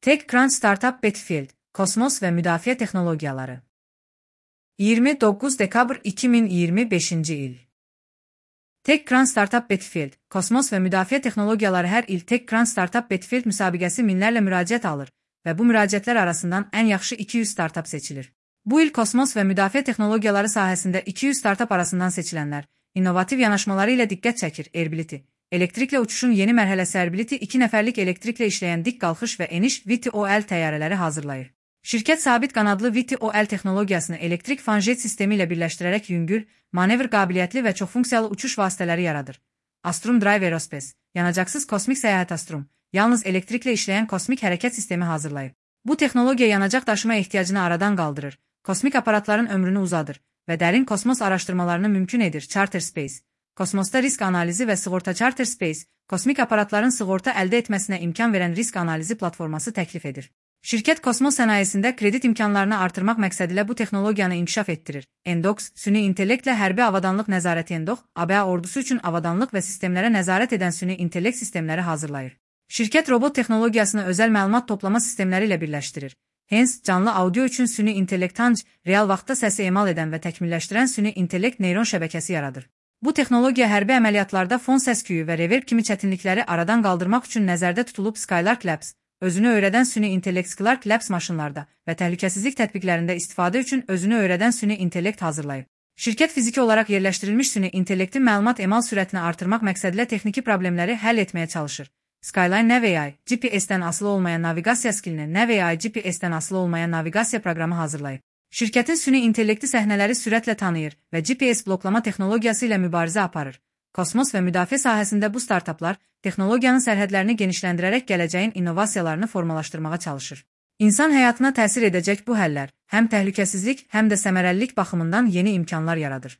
TechCrunch Startup Battlefield, Kosmos və Müdafiə Texnologiyaları. 29 dekabr 2025-ci il. TechCrunch Startup Battlefield, Kosmos və Müdafiə Texnologiyaları hər il TechCrunch Startup Battlefield müsabiqəsi minlərlə müraciət alır və bu müraciətlər arasından ən yaxşı 200 startup seçilir. Bu il kosmos və müdafiə texnologiyaları sahəsində 200 startup arasından seçilənlər, innovativ yanaşmaları ilə diqqət çəkir. Airbility, elektriklə uçuşun yeni mərhələsi Airbility 2 nəfərlik elektriklə işləyən dik qalxış və eniş VTOL təyyarələri hazırlayır. Şirkət sabit qanadlı VTOL texnologiyasını elektrik fanjet sistemi ilə birləşdirərək yüngül, manevr qabiliyyətli və çoxfunksiyalı uçuş vasitələri yaradır. Astrum Drive Aerospace, yanacaqsız kosmik səyahət Astrum, yalnız elektriklə işləyən kosmik hərəkət sistemi hazırlayıb. Bu texnologiya yanacaq daşıma ehtiyacını aradan qaldırır, kosmik aparatların ömrünü uzadır və dərin kosmos araşdırmalarını mümkün edir. Charter Space, kosmosda risk analizi və sığorta Charter Space, kosmik aparatların sığorta əldə etməsinə imkan verən risk analizi platforması təklif edir. Şirkət kosmos sənayesində kredit imkanlarını artırmaq məqsədilə bu texnologiyanı inkişaf etdirir. Endox, süni intellektlə hərbi avadanlıq nəzarəti Endox, ABA ordusu üçün avadanlıq və sistemlərə nəzarət edən süni intellekt sistemləri hazırlayır. Şirkət robot texnologiyasını özəl məlumat toplama sistemləri ilə birləşdirir. Hens, canlı audio üçün süni intellekt Tanj, real vaxtda səsi emal edən və təkmilləşdirən süni intellekt neyron şəbəkəsi yaradır. Bu texnologiya hərbi əməliyyatlarda fon səs-küyü və reverb kimi çətinlikləri aradan qaldırmaq üçün nəzərdə tutulub. Skylark Labs, özünü öyrədən süni intellekt Skylark Labs maşınlarda və təhlükəsizlik tətbiqlərində istifadə üçün özünü öyrədən süni intellekt hazırlayıb. Şirkət fiziki olaraq yerləşdirilmiş süni intellektin məlumat emal sürətini artırmaq məqsədilə texniki problemləri həll etməyə çalışır. Skyline NavAI, GPS-dən asılı olmayan naviqasiya skillini NavAI GPS-dən asılı olmayan naviqasiya proqramı hazırlayıb. Şirkətin süni intellekti səhnələri sürətlə tanıyır və GPS bloklama texnologiyası ilə mübarizə aparır. Kosmos və müdafiə sahəsində bu startaplar texnologiyanın sərhədlərini genişləndirərək gələcəyin innovasiyalarını formalaşdırmağa çalışır. İnsan həyatına təsir edəcək bu həllər həm təhlükəsizlik, həm də səmərəlilik baxımından yeni imkanlar yaradır.